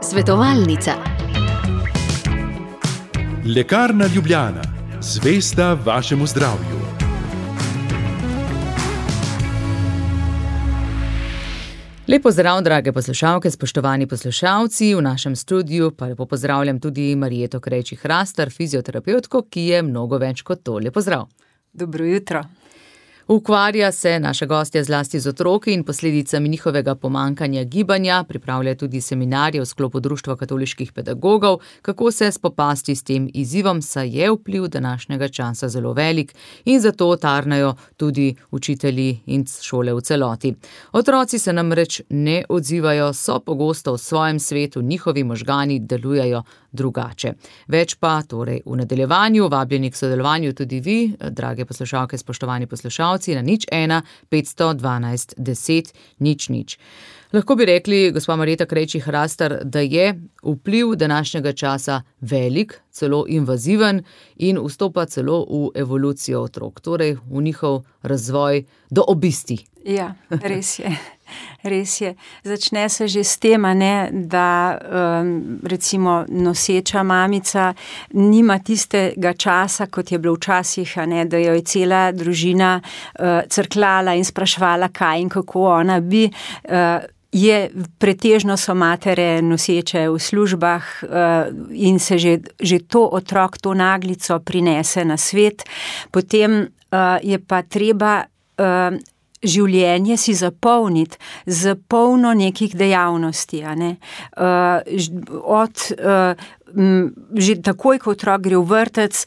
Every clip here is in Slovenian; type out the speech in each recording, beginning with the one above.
Svetovalnica. Lekarna Ljubljana, zvesta vašemu zdravju. Lep pozdrav, drage poslušalke, spoštovani poslušalci. V našem studiu pa lepo pozdravljam tudi Marijeto Krejčih-Hrastar, fizioterapevtko, ki je mnogo več kot to. Lep pozdrav. Dobro jutro. Ukvarja se naša gostja zlasti z otroki in posledicami njihovega pomankanja gibanja, pripravlja tudi seminarje v sklopu Društva katoliških pedagogov, kako se spopasti s tem izzivom, saj je vpliv današnjega časa zelo velik in zato tarnajo tudi učitelji in šole v celoti. Otroci se namreč ne odzivajo, so pogosto v svojem svetu, njihovi možgani delujejo drugače. Več pa torej v nadaljevanju, vabljeni k sodelovanju tudi vi, drage poslušalke, spoštovani poslušalci, na 01 512 10 00. Lahko bi rekli, gospa Marjeta Krejčih-Hrastar, da je vpliv današnjega časa velik, celo invaziven in vstopa celo v evolucijo otrok, torej v njihov razvoj do obisti. Ja, res je. Res je. Začne se že s tem, da recimo noseča mamica nima tistega časa, kot je bilo včasih, da jo je cela družina crkljala in spraševala, kaj in kako ona bi. Pretežno so matere noseče v službah in se že to otrok, to naglico prinese na svet. Potem je pa treba življenje si zapolniti z polno nekih dejavnosti. Že takoj, ko otrok gre v vrtec,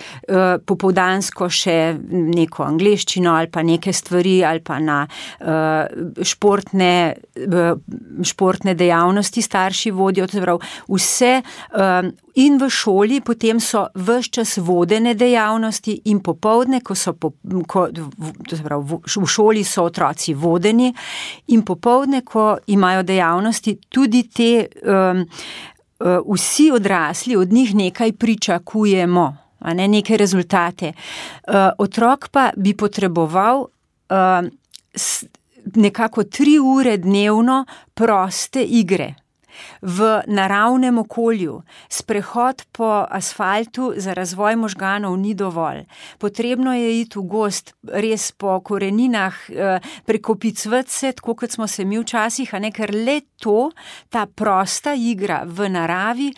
popoldansko še neko angleščino ali pa neke stvari ali pa na športne dejavnosti starši vodijo, vse in v šoli, potem so ves čas vodene dejavnosti in popoldne, v šoli so otroci vodeni in popoldne, ko imajo dejavnosti, tudi te vsi odrasli od njih nekaj pričakujemo, neke rezultate. Otrok pa bi potreboval nekako 3 ure dnevno proste igre v naravnem okolju. Sprehod po asfaltu za razvoj možganov ni dovolj. Potrebno je iti v gozd, res po koreninah, prekopicvati se, tako kot smo se mi včasih, ker le to, ta prosta igra v naravi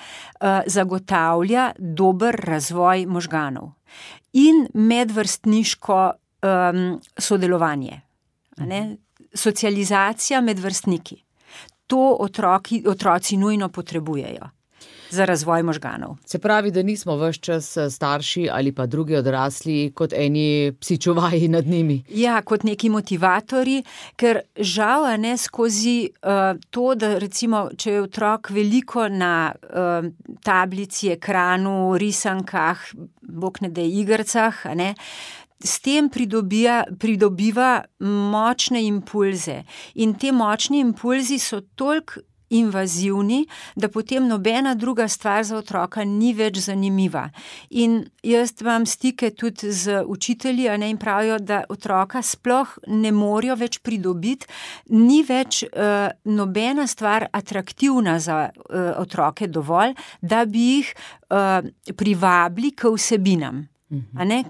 zagotavlja dober razvoj možganov. In medvrstniško sodelovanje, socializacija med vrstniki. To otroci nujno potrebujejo za razvoj možganov. Se pravi, da nismo ves čas starši ali pa drugi odrasli kot eni psičuvaji nad njimi. Ja, kot neki motivatorji, ker žal skozi to, da recimo, če je otrok veliko na tablici, ekranu, risankah, bog ne daj igrcah, s tem pridobiva močne impulze. In te močni impulzi so toliko invazivni, da potem nobena druga stvar za otroka ni več zanimiva. In jaz imam stike tudi z učitelji, in pravijo, da otroka sploh ne morejo več pridobiti, ni več nobena stvar atraktivna za otroke dovolj, da bi jih privabili k vsebinam.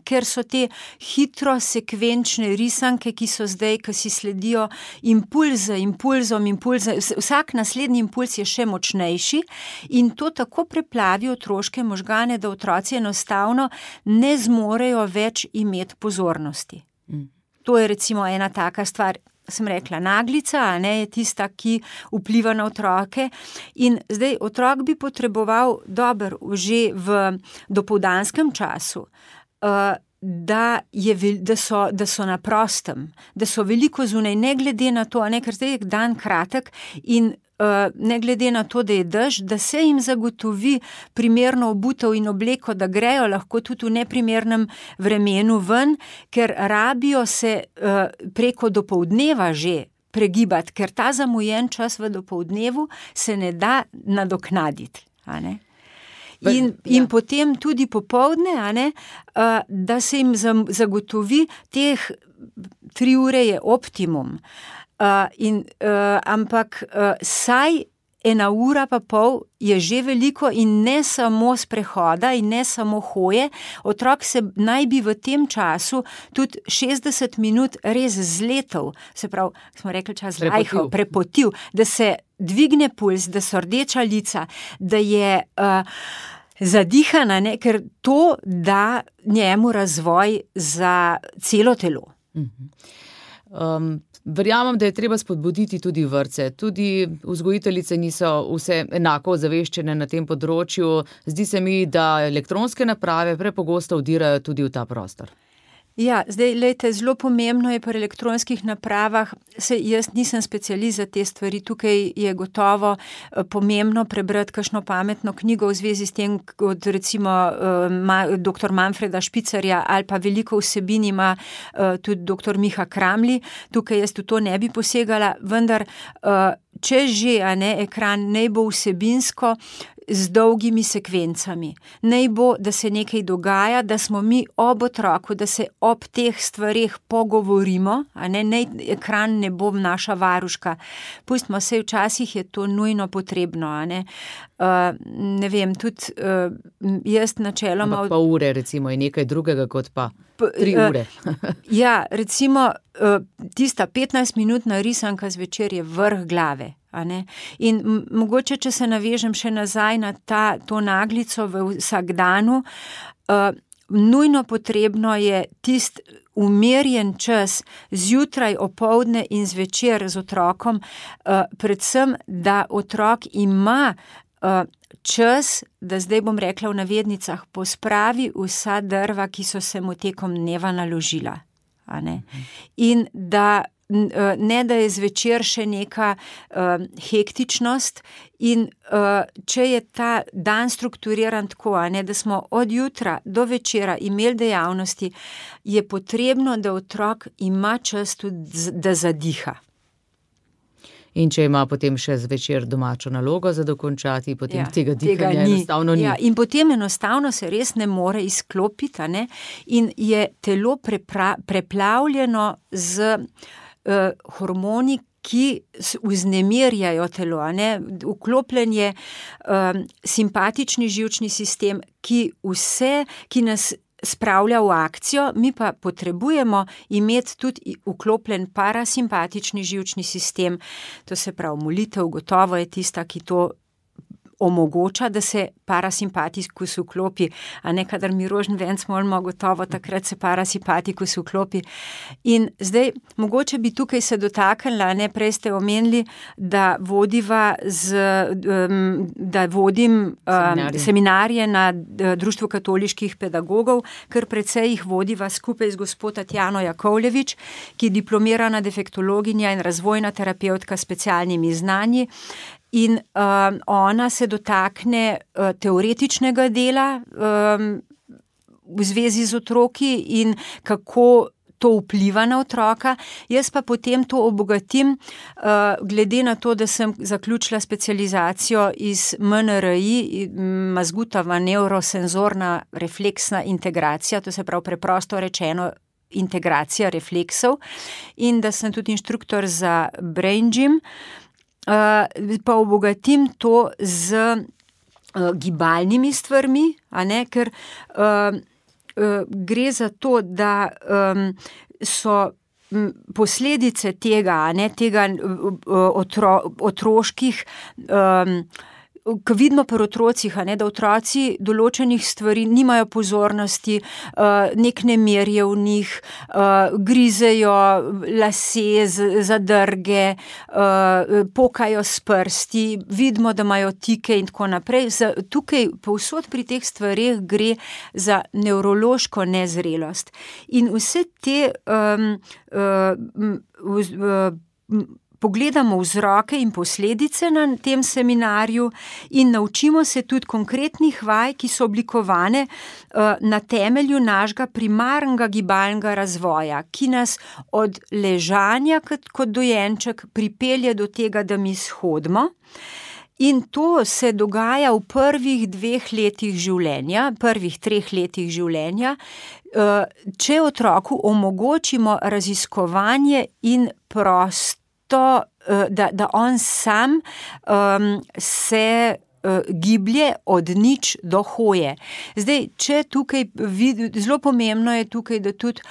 Ker so te hitro sekvenčne risanke, ki so zdaj, ki si sledijo impulzom, vsak naslednji impuls je še močnejši in to tako preplavi otroške možgane, da otroci enostavno ne zmorejo več imeti pozornosti. To je recimo ena taka stvar. Sem rekla, naglica, je tista, ki vpliva na otroke in zdaj otrok bi potreboval že v dopoldanskem času, da so na prostem, da so veliko zunaj, ne glede na to, ker zdaj je dan kratek in ne glede na to, da je dež, da se jim zagotovi primerno obutev in obleko, da grejo lahko tudi v neprimernem vremenu ven, ker rabijo se preko dopoldneva že pregibati, ker ta zamujen čas v dopoldnevu se ne da nadoknaditi. In potem tudi popoldne, da se jim zagotovi teh 3 ure je optimum. Ampak saj 1,5 ure je že veliko in ne samo sprehoda in ne samo hoje. Otrok se naj bi v tem času tudi 60 minut res zletel, se pravi, smo rekli prepotil, da se dvigne puls, da so rdeča lica, da je zadihana, ker to da njemu razvoj za celo telo. Verjamem, da je treba spodbuditi tudi vrtce. Tudi vzgojiteljice niso vse enako ozaveščene na tem področju. Zdi se mi, da elektronske naprave prepogosto vdirajo tudi v ta prostor. Ja, zdaj, lejte, zelo pomembno je pri elektronskih napravah, jaz nisem specialist za te stvari, tukaj je gotovo pomembno prebrati kakšno pametno knjigo v zvezi s tem, kot recimo dr. Manfreda Špicarja ali pa veliko vsebin ima tudi dr. Miha Kramli. Tukaj jaz v to ne bi posegala, vendar če že, ekran naj bo vsebinsko z dolgimi sekvencami. Naj bo, da se nekaj dogaja, da smo mi ob otroku, da se ob teh stvareh pogovorimo, naj ekran ne bo naša varuška. Pustimo se, včasih je to nujno potrebno, ne vem, tudi jaz načeloma... Ampak pa ure, recimo, je nekaj drugega kot pa 3 ure. Ja, recimo, tista 15-minutna risanka zvečer je vrh glave. In mogoče, če se navežem še nazaj na to naglico v vsakdanu, nujno potrebno je tisti umirjen čas zjutraj, opoldne in zvečer z otrokom, predvsem, da otrok ima čas, da zdaj bom rekla v navednicah, pospravi vsa drva, ki so se mu tekom dneva naložila. In da ne, da je zvečer še neka hektičnost in če je ta dan strukturiran tako, da smo od jutra do večera imeli dejavnosti, je potrebno, da otrok ima čas tudi, da zadiha. In če ima potem še zvečer domačo nalogo za dokončati, potem tega dihanja enostavno ni. Ja, in potem enostavno se res ne more izklopiti, in je telo preplavljeno z hormoni, ki vznemirjajo telo, Vklopljen je simpatični živčni sistem, ki nas spravlja v akcijo, mi pa potrebujemo imeti tudi vklopljen parasimpatični živčni sistem, to se pravi molitev, gotovo je tista, ki to omogoča, da se parasimpatikus vklopi, kadar mi rožen venc molimo, gotovo takrat se parasimpatikus vklopi. In zdaj, mogoče bi tukaj se dotaknila, prej ste omenili, da vodim seminarje na Društvu katoliških pedagogov, ker precej jih vodiva skupaj z gospo Tatjano Jakovljevič, ki je diplomirana defektologinja in razvojna terapevtka s specialnimi znanji. In ona se dotakne teoretičnega dela v zvezi z otroki in kako to vpliva na otroka. Jaz pa potem to obogatim, glede na to, da sem zaključila specializacijo iz MNRI, mazgutova neurosenzorna refleksna integracija, to se pravi preprosto rečeno integracija refleksov, in da sem tudi inštruktor za Brain Gym, pa obogatim to z gibalnimi stvarmi, ker gre za to, da so posledice tega otroških, ko vidimo pri otrocih, da otroci določenih stvari nimajo pozornosti, nek nemir je v njih, grizejo lase, zadrge, pokajo s prsti, vidimo, da imajo tike in tako naprej. Tukaj povsod pri teh stvareh gre za nevrološko nezrelost. In vse te pogledamo vzroke in posledice na tem seminarju in naučimo se tudi konkretnih vaj, ki so oblikovane na temelju našega primarnega gibalnega razvoja, ki nas od ležanja kot dojenček pripelje do tega, da mi shodimo. In to se dogaja v prvih 2 letih življenja, prvih 3 letih življenja, če otroku omogočimo raziskovanje in čisto, da on sam se giblje od nič do hoje. Zdaj, če tukaj zelo pomembno je tukaj, da tudi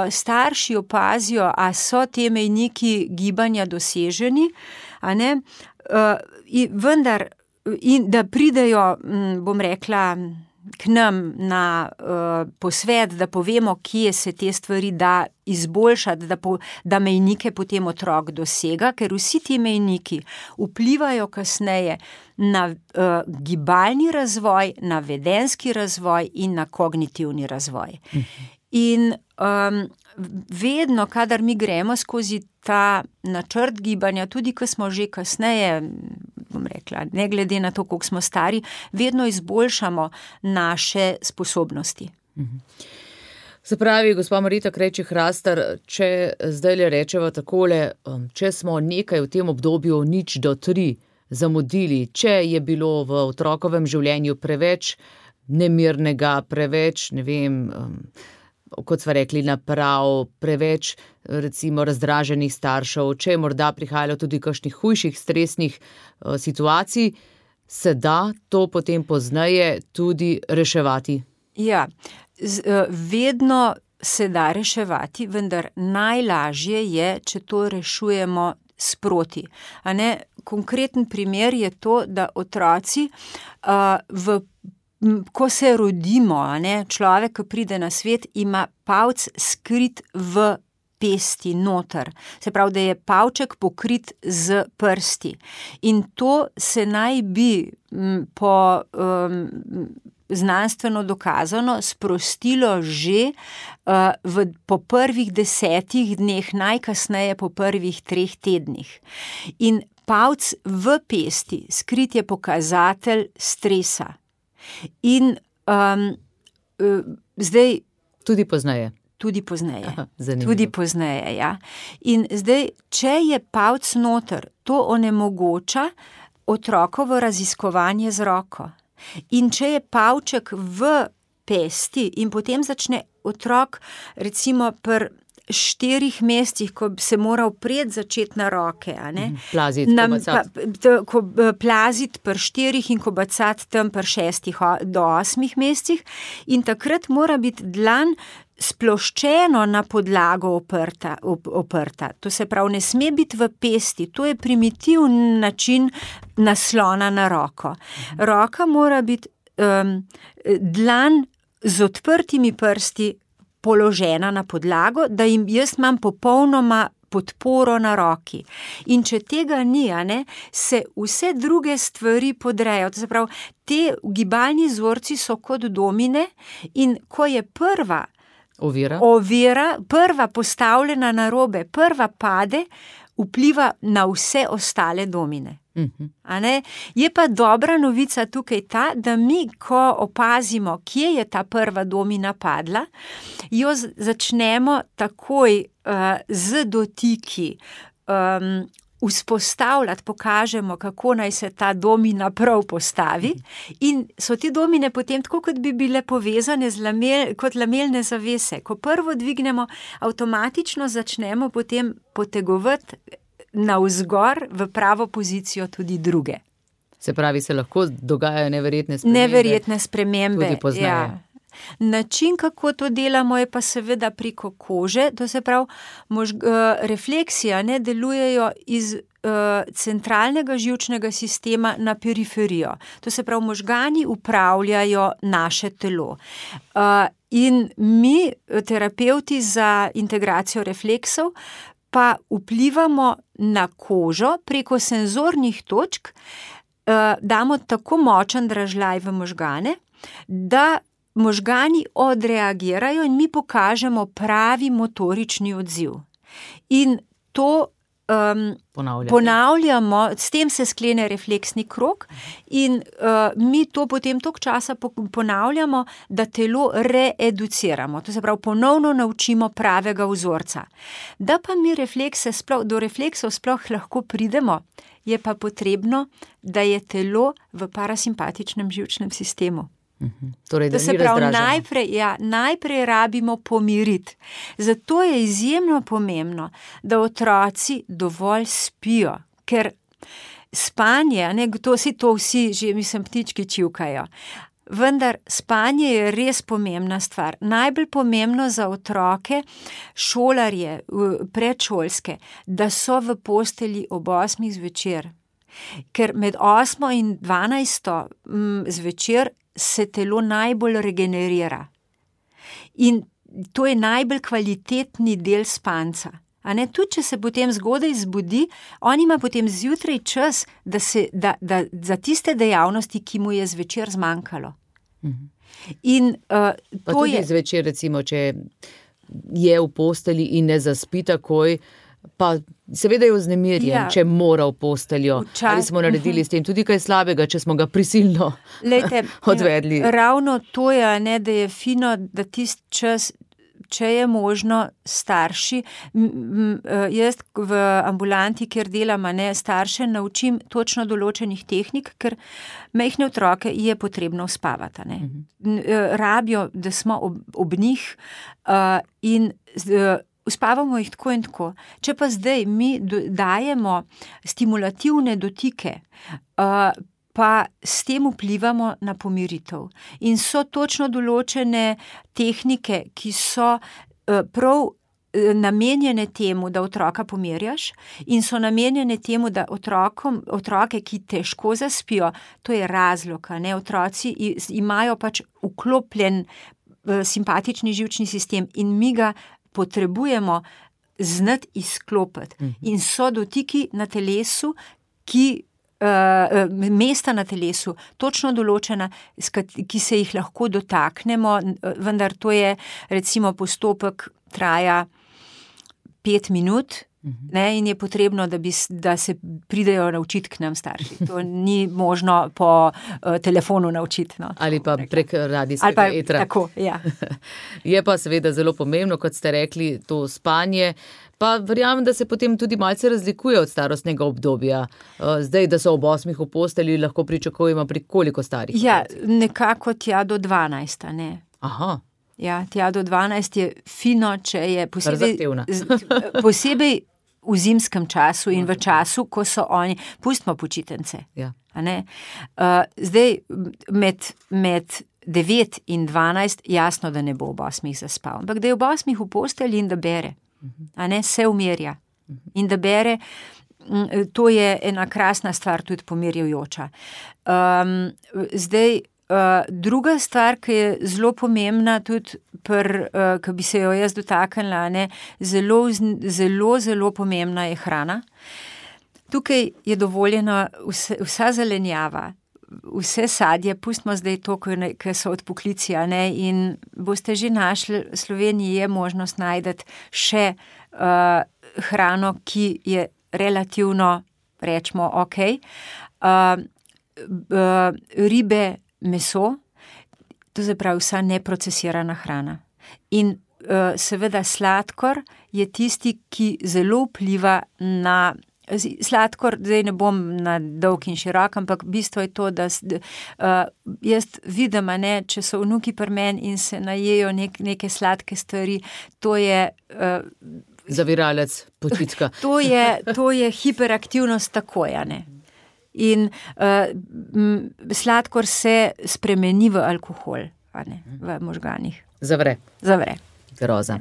starši opazijo, a so te mejniki gibanja doseženi, a ne, vendar, in da pridejo, bom rekla, k nam na posvet, da povemo, kje se te stvari da izboljšati, da mejnike potem otrok dosega, ker vsi ti mejniki vplivajo kasneje na gibalni razvoj, na vedenjski razvoj in na kognitivni razvoj. In vedno, kadar mi gremo skozi ta načrt gibanja, tudi ko smo že kasneje, bom rekla, ne glede na to, koliko smo stari, vedno izboljšamo naše sposobnosti. Se pravi, gospa Marita Krejčih-Hrastar, če zdaj le rečeva takole, če smo nekaj v tem obdobju 0 do 3 zamudili, če je bilo v otrokovem življenju preveč nemirnega, preveč, ne vem, kot sva rekli, naprav, preveč recimo razdraženih staršev, če je morda prihajalo tudi kakšnih hujših stresnih situacij, se da to potem pozneje tudi reševati? Ja, vedno se da reševati, vendar najlažje je, če to rešujemo sproti. A ne, konkreten primer je to, da otroci ko se rodimo, a ne, človek, ko pride na svet, ima palc skrit v pesti noter. Se pravi, da je palček pokrit z prsti. In to se naj bi po znanstveno dokazano sprostilo že po prvih 10 dneh, najkasneje po prvih 3 tednih. In palc v pesti skrit je pokazatelj stresa. In zdaj... Tudi pozneje. Tudi pozneje. Aha, tudi pozneje, ja. In zdaj, če je palc noter, to onemogoča otrokovo raziskovanje z roko. In če je palček v pesti in potem začne otrok, recimo pri 4 mesecih, ko se mora vpred začeti na roke, a ne? Plaziti, plaziti pri 4 in kobacati tam pri 6 do 8 mesecih in takrat mora biti dlan sploščeno na podlago oprta. To se pravi, ne sme biti v pesti, to je primitivni način naslona na roko. Roka mora biti dlan z odprtimi prsti položena na podlago, da jaz imam popolnoma podporo na roki. In če tega ni, a ne, se vse druge stvari podrejo. To se pravi, te gibalni vzorci so kot domine in ko je prva ovira, prva postavljena narobe, prva pade, vpliva na vse ostale domine. A ne? Je pa dobra novica tukaj ta, da mi, ko opazimo, kje je ta prva domina padla, jo začnemo takoj z dotiki vzpostavljati, pokažemo, kako naj se ta domina prav postavi in so te domine potem tako, kot bi bile povezane kot lamelne zavese. Ko prvo dvignemo, avtomatično začnemo potem potegovati navzgor v pravo pozicijo tudi druge. Se pravi, se lahko dogajajo neverjetne spremembe. Tudi pozneje. Ja. Način, kako to delamo, je pa seveda preko kože, to se pravi, refleksija ne delujejo iz centralnega živčnega sistema na periferijo. To se pravi, možgani upravljajo naše telo. In mi, terapevti za integracijo refleksov, pa vplivamo na kožo preko senzornih točk, damo tako močen dražljaj v možgane, da možgani odreagirajo in mi pokažemo pravi motorični odziv. In to ponavljamo, s tem se sklene refleksni krog in mi to potem toliko časa ponavljamo, da telo reeduciramo. To se pravi, ponovno naučimo pravega vzorca. Da pa mi do refleksov sploh lahko pridemo, je pa potrebno, da je telo v parasimpatičnem živčnem sistemu. Torej, da se pravi, najprej rabimo pomiriti. Zato je izjemno pomembno, da otroci dovolj spijo, ker spanje, to vsi že, ptički čivkajo, vendar spanje je res pomembna stvar. Najbolj pomembno za otroke, šolarje, predšolske, da so v postelji ob 8 zvečer. Ker med 8 in 12 zvečer se telo najbolj regenerira. In to je najbolj kvalitetni del spanca. Tudi če se potem zgodaj zbudi, on ima potem zjutraj čas, da za tiste dejavnosti, ki mu je zvečer zmanjkalo. In pa tudi zvečer, recimo, če je v posteli in ne zaspi takoj, pa seveda je vznemirjen, če mora v posteljo. Ali smo naredili s tem tudi kaj slabega, če smo ga prisilno odvedli? Ravno to je, da je fino, da tisti čas, če je možno, starši, jaz v ambulanti, kjer delam, starše naučim točno določenih tehnik, ker majhne otroke je potrebno uspavati. Rabijo, da smo ob njih in uspavamo jih tako in tako. Če pa zdaj mi dajemo stimulativne dotike, pa s tem vplivamo na pomiritev. In so točno določene tehnike, ki so prav namenjene temu, da otroka pomirjaš, in so namenjene temu, da otroke, ki težko zaspijo, to je razlog, otroci imajo pač vklopljen simpatični živčni sistem in mi ga potrebujemo znati izklopiti. In so dotiki na telesu, mesta na telesu, točno določena, ki se jih lahko dotaknemo, vendar to je, recimo, postopek traja 5 minut, in je potrebno, da se pridejo naučiti k nam starši. To ni možno po telefonu naučiti. Ali pa prek radijskega etra. Tako, ja. Je pa seveda zelo pomembno, kot ste rekli, to spanje. Pa verjamem, da se potem tudi malce razlikuje od starostnega obdobja. Zdaj, da so ob 8 v postelji, lahko pričakujemo pri koliko starih? Ja, nekako tja do 12, ne. Aha. Ja, tja do 12 je fino, če je posebej v zimskem času in v času, ko so oni, pustimo počitnice. Ja. Zdaj, med 9 in 12, jasno, da ne bo ob 8 zaspal, ampak da je ob 8 v postelji in da bere, se umirja in da bere, to je ena krasna stvar, tudi pomirjujoča. Zdaj, druga stvar, ki je zelo pomembna, tudi ki bi se jo jaz dotaknila, zelo pomembna je hrana. Tukaj je dovoljena vsa zelenjava, vse sadje, pustimo zdaj to, ki so odpoklici, in boste že našli, v Sloveniji je možnost najdeti še hrano, ki je relativno, rečemo, ribe, meso, to se pravi vsa neprocesirana hrana. In seveda sladkor je tisti, ki zelo vpliva na sladkor, zdaj ne bom na dolg in širok, ampak bistvo je to, da jaz vidim, če so vnuki pri meni in se najejo neke sladke stvari, to je zaviralec počitka. To je hiperaktivnost takoj, In sladkor se spremeni v alkohol, v možganih. Zavre. Groza.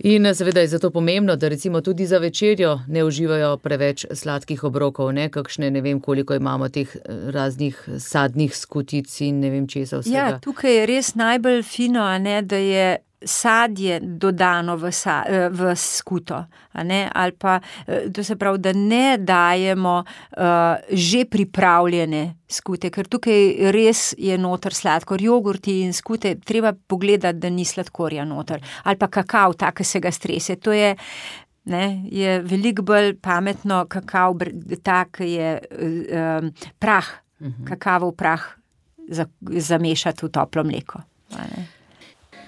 In seveda je zato pomembno, da recimo tudi za večerjo ne uživajo preveč sladkih obrokov, kakšne, ne vem, koliko imamo teh raznih sadnih skutic in ne vem česa vsega. Ja, tukaj je res najbolj fino, da je sadje dodano v skuto, ali pa, to se pravi, da ne dajemo že pripravljene skute, ker tukaj res je noter sladkor, jogurti in skute, treba pogledati, da ni sladkorja noter, ali pa kakav, tak, ki se ga strese, to je veliko bolj pametno, kakav, tak je prah, kakavov prah zamešati v toplo mleko.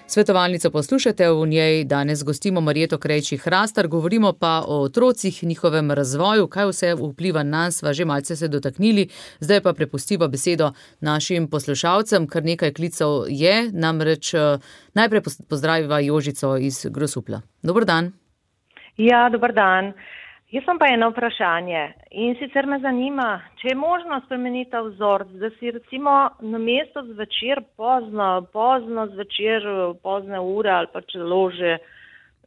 Svetovalnico poslušate, v njej danes gostimo Marjeto Krejčí-Hrastar, govorimo pa o otrocih, njihovem razvoju, kaj vse vpliva na nas, sva že malce se dotaknili, zdaj pa prepustiva besedo našim poslušalcem, kar nekaj klicev je, namreč najprej pozdraviva Jožico iz Grosupla. Dober dan. Ja, dober dan. Jaz sem pa eno vprašanje in sicer me zanima, če je možno spremeniti ta vzorec, da si recimo namesto zvečer pozno zvečer, pozne ure ali pa celo že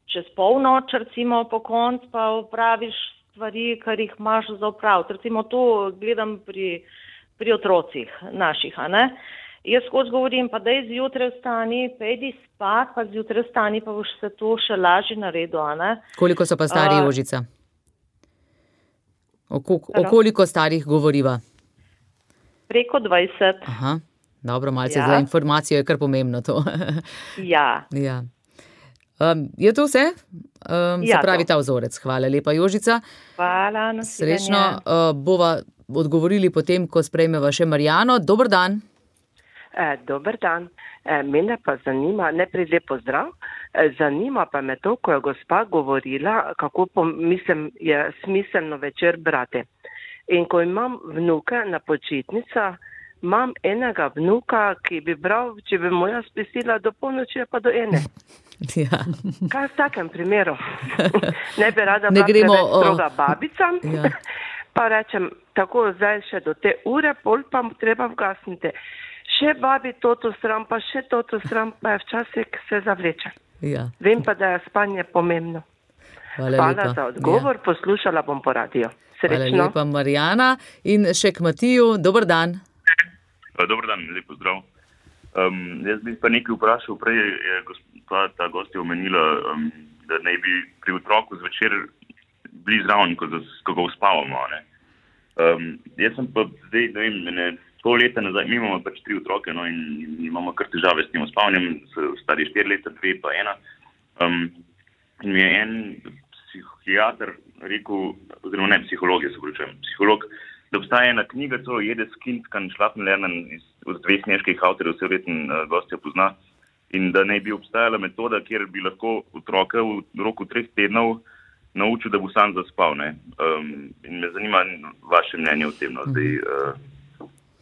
čez polnoč recimo po konc pa opraviš stvari, kar jih imaš za opraviti. Recimo to gledam pri otrocih naših, a ne? Jaz skozi govorim, pa daj zjutraj vstani, pejdi spat, pa zjutraj vstani, pa boš se to še lažje naredil, a ne? Koliko so pa stari, Jožica? O koliko starih govoriva? Preko 20. Aha, dobro, malce za informacijo je kar pomembno to. Ja. Je to vse? Se pravi ta vzorec. Hvala lepa, Jožica. Hvala, nasvidenje. Srečno bova odgovorili potem, ko sprejmeva še Marjano. Dober dan. Dober dan. Mene pa zanima, najprej lep pozdrav, zanima pa me to, ko je gospa govorila, kako je smiselno večer brati. In ko imam vnuke na počitnicah, imam enega vnuka, ki bi bral, če bi mu jaz pisila do polnoči pa do ene. Ja. Kaj v takem primeru? Ne bi rada bila preveč stroga babica, pa rečem, tako zdaj še do te ure, pol pa treba vgasniti. Še babi toto sram, pa še toto sram, pa je včasih se zavleče. Ja. Vem pa, da je spanje pomembno. Hvala za odgovor, poslušala bom po radio. Srečno. Hvala lepa, Marjana. In še k Matiju, dober dan. Dober dan, lep pozdrav. Jaz bi pa nekaj vprašal, prej je ta gostja omenila, da naj bi pri otroku zvečer bili zraven, ko ga uspavamo. Jaz sem pa zdaj, pol leta nazaj, mi imamo pač 3 otroke, in imamo kar težave s tem uspavanjem, stari 4 leta, 2 pa 1. In mi je en psihiater rekel, oziroma ne psiholog, psiholog, da obstaja ena knjiga, to Jedes Kind kann schlafen lernen, od 2 nemških avtorjev, vse vreten gostja pozna, in da naj bi obstajala metoda, kjer bi lahko otroke v roku 3 tednov naučil, da bo sam zaspal. In me zanima vaše mnenje o tem,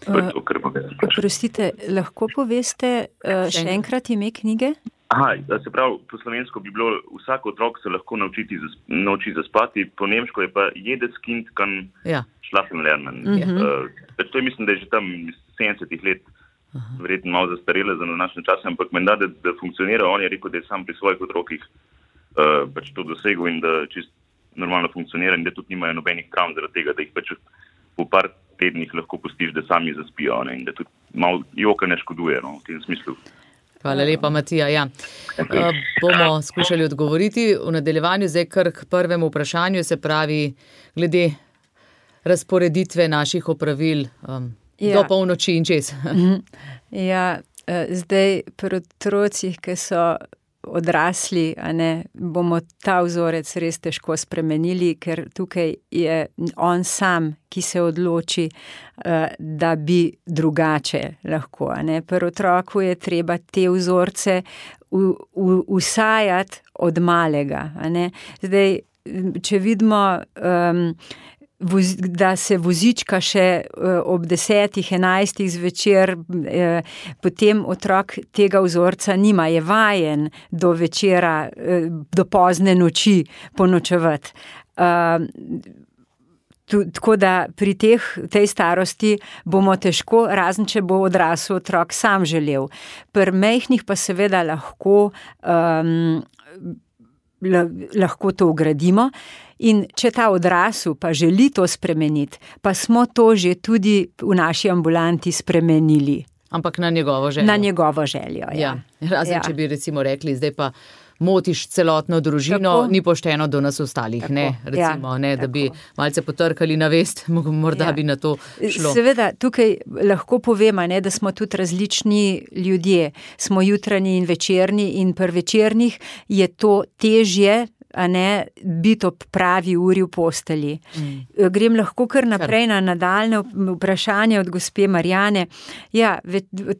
Oprostite, lahko poveste še enkrat ime knjige? Se pravi, po slovensko bi bilo, vsak otrok se lahko nauči zaspati, po nemško je pa Jedes Kind kann schlafen lernen. To je, mislim, da je že tam iz 70 let verjetno malo zastarele za današnje čase, ampak menda, da funkcionira. On je rekel, da je sam pri svojih otrokih pač to dosegel in da čist normalno funkcionira in da tudi nimajo nobenih travm zaradi tega, da jih pač po par tednih lahko pustiš, da sami zaspijo, in da tudi malo joka ne škoduje, v tem smislu. Hvala lepa, Matija. Bomo skušali odgovoriti v nadaljevanju, zdaj kar k prvemu vprašanju, se pravi, glede razporeditve naših opravil do polnoči in čez. Zdaj pri otrocih, ki so odrasli, bomo ta vzorec res težko spremenili, ker tukaj je on sam, ki se odloči, da bi drugače lahko. Pri otroku je treba te vzorce usajati od malega. Zdaj, če vidimo, da se vozička še ob 10-11 zvečer, potem otrok tega vzorca nima, je vajen do večera, do pozne noči ponočevati. Tako da pri tej starosti bomo težko, razen če bo odrasel otrok sam želel. Pri majhnih pa seveda lahko to vgradimo. In če ta odrasel pa želi to spremeniti, pa smo to že tudi v naši ambulanti spremenili. Ampak na njegovo željo. Na njegovo željo, Razen, če bi recimo rekli, zdaj pa motiš celotno družino, ni pošteno do nas ostalih, da bi malce potrkali na vest, morda bi na to šlo. Seveda, tukaj lahko povem, da smo tudi različni ljudje, smo jutranji in večerni in pri večernih je to težje, biti ob pravi uri v postelji. Grem lahko kar naprej na nadaljne vprašanje od gospe Marjane. Ja,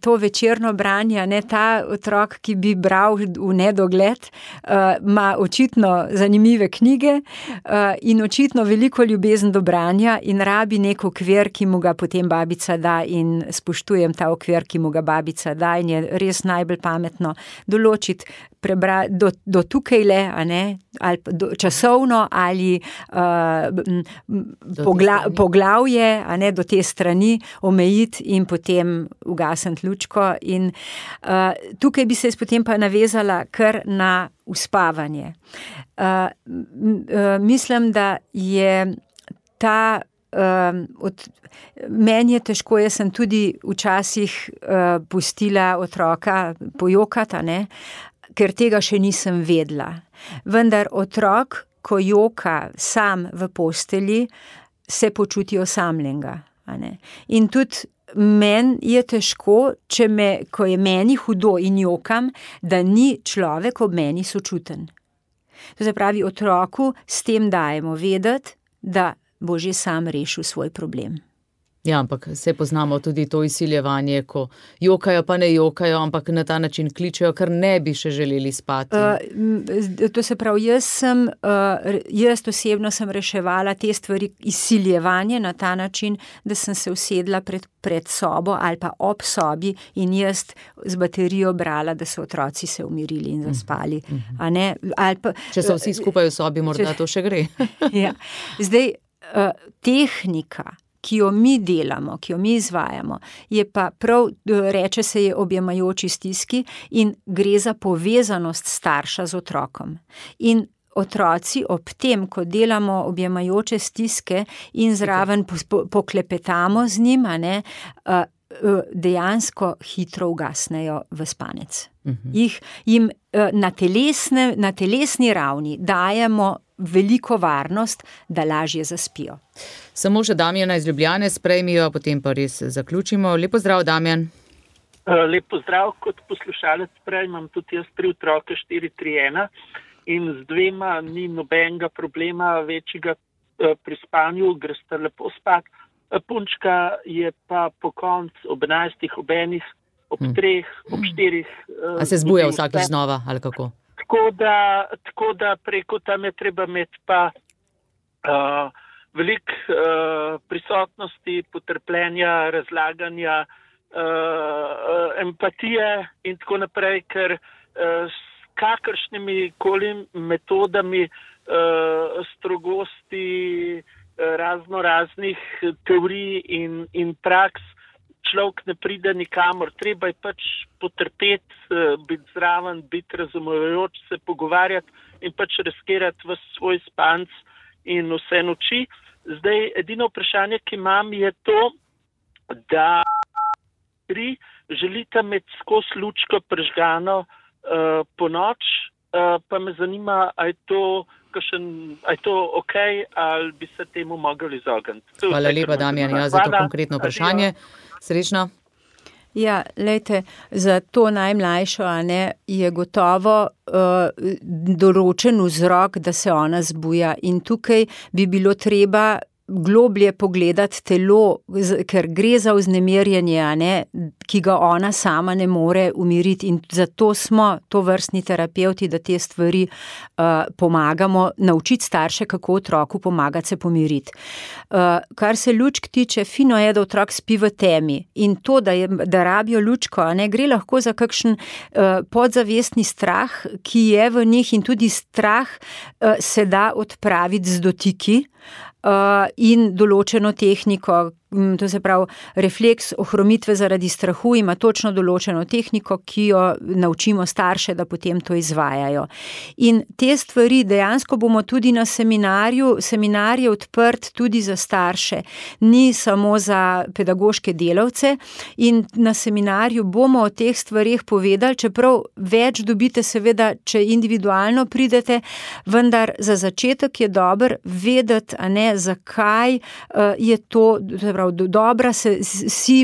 to večerno branje, ta otrok, ki bi bral v nedogled, ima očitno zanimive knjige in očitno veliko ljubezen do branja in rabi nek okvir, ki mu ga potem babica da in spoštujem ta okvir, ki mu ga babica da in je res najbolj pametno določiti do tukaj le, ali časovno, ali poglavje, do te strani omejiti in potem ugasniti lučko. In tukaj bi se potem pa navezala kar na uspavanje. Mislim, da je ta meni je težko, jaz sem tudi včasih pustila otroka pojokati, ker tega še nisem vedela. Vendar otrok, ko joka sam v postelji, se počuti osamljenega. In tudi meni je težko, ko je meni hudo in jokam, da ni človek ob meni sočuten. To se pravi, otroku s tem dajemo vedeti, da bo že sam rešil svoj problem. Ja, ampak se poznamo tudi to izsiljevanje, ko jokajo pa ne jokajo, ampak na ta način kličejo, ker ne bi še želeli spati. To se pravi, jaz osebno sem reševala te stvari izsiljevanje na ta način, da sem se usedla pred sobo ali pa ob sobi in jaz z baterijo brala, da so otroci se umirili in zaspali. Če so vsi skupaj v sobi, morda to še gre. Ja. Zdaj, tehnika, ki jo mi delamo, ki jo mi izvajamo, je pa prav, reče se je objemajoči stiski in gre za povezanost starša z otrokom. In otroci ob tem, ko delamo objemajoče stiske in zraven poklepetamo z njim, dejansko hitro ugasnejo v spanec. Jim na telesni ravni dajemo veliko varnost, da lažje zaspijo. Samo še Damjana iz Ljubljane sprejmijo, potem pa res zaključimo. Lep pozdrav, Damjan. Lep pozdrav, kot poslušalec prej imam tudi jaz 3 otroke, 4, 3, 1 in z 2 ni nobenega problema večjega pri spanju, greste lepo spat. Punčka je pa po koncu ob 11, ob 1, ob 3, ob 4. A se zbuja vsakič znova, ali kako? Tako da preko tam je treba imeti pa veliko prisotnosti, potrpljenja, razlaganja, empatije in tako naprej, ker s kakršnimi koli metodami strogosti raznih teorij in praks človek ne pride nikamor. Treba je pač potrpeti, biti zraven, biti razumevajoč, se pogovarjati in pač riskirati v svoj spanc in vse noči. Zdaj, edino vprašanje, ki imam, je to, da želite imeti skozi lučko prižgano po noč, pa me zanima, a je to ok, ali bi se temu mogli izogniti. Hvala lepa, Damjan, za to konkretno vprašanje. Srečno. Ja, lejte, za to najmlajšo, je gotovo določen vzrok, da se ona zbuja in tukaj bi bilo treba globlje pogledati telo, ker gre za vznemirjenje, ki ga ona sama ne more umiriti in zato smo tovrstni terapevti, da te stvari pomagamo, naučiti starše, kako otroku pomagati se pomiriti. Kar se lučk tiče, fino je, da otrok spi v temi in to, da rabijo lučko, gre lahko za kakšen podzavestni strah, ki je v njih in tudi strah se da odpraviti z dotiki, in določeno tehniko, to se pravi, refleks ohromitve zaradi strahu ima točno določeno tehniko, ki jo naučimo starše, da potem to izvajajo. In te stvari dejansko bomo tudi na seminarju, seminar je odprt tudi za starše, ni samo za pedagoške delavce in na seminarju bomo o teh stvarih povedali, čeprav več dobite seveda, če individualno pridete, vendar za začetek je dobro vedeti, zakaj je to pravi, dobra si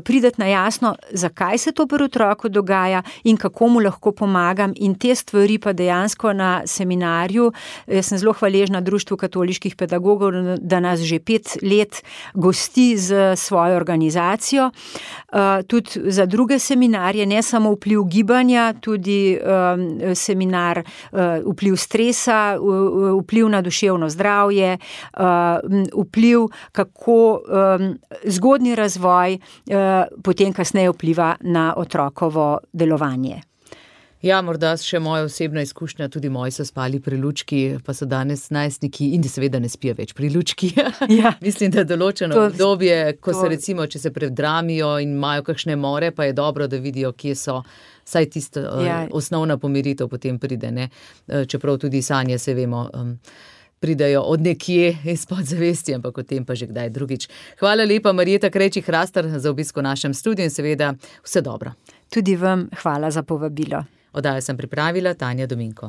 prideti na jasno, zakaj se to pri otroku dogaja in kako mu lahko pomagam, in te stvari pa dejansko na seminarju. Jaz sem zelo hvaležna Društvu katoliških pedagogov, da nas že 5 let gosti z svojo organizacijo. Tudi za druge seminarje, ne samo vpliv gibanja, tudi seminar vpliv stresa, vpliv na duševno zdravje, vpliv, kako zgodnji razvoj potem kasneje vpliva na otrokovo delovanje. Ja, morda še moja osebna izkušnja, tudi moji so spali pri lučki, pa so danes najstniki in seveda ne spijo več pri lučki. Ja. Mislim, da določeno obdobje, ko se recimo, če se predramijo in imajo kakšne more, pa je dobro, da vidijo, kje so, saj tista osnovna pomiritev potem pride, ne? Čeprav tudi sanje, se vemo, pridajo od nekje iz podzavesti, ampak o tem pa že kdaj drugič. Hvala lepa, Marjeta Krejčih-Hrastar, za obisk v našem studiu in seveda vse dobro. Tudi vam hvala za povabilo. Oddajo sem pripravila Tanja Dominko.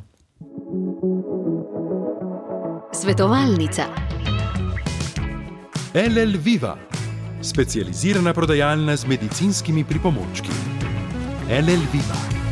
Svetovalnica. LL Viva, specializirana prodajalna z medicinskimi pripomočki. LL Viva.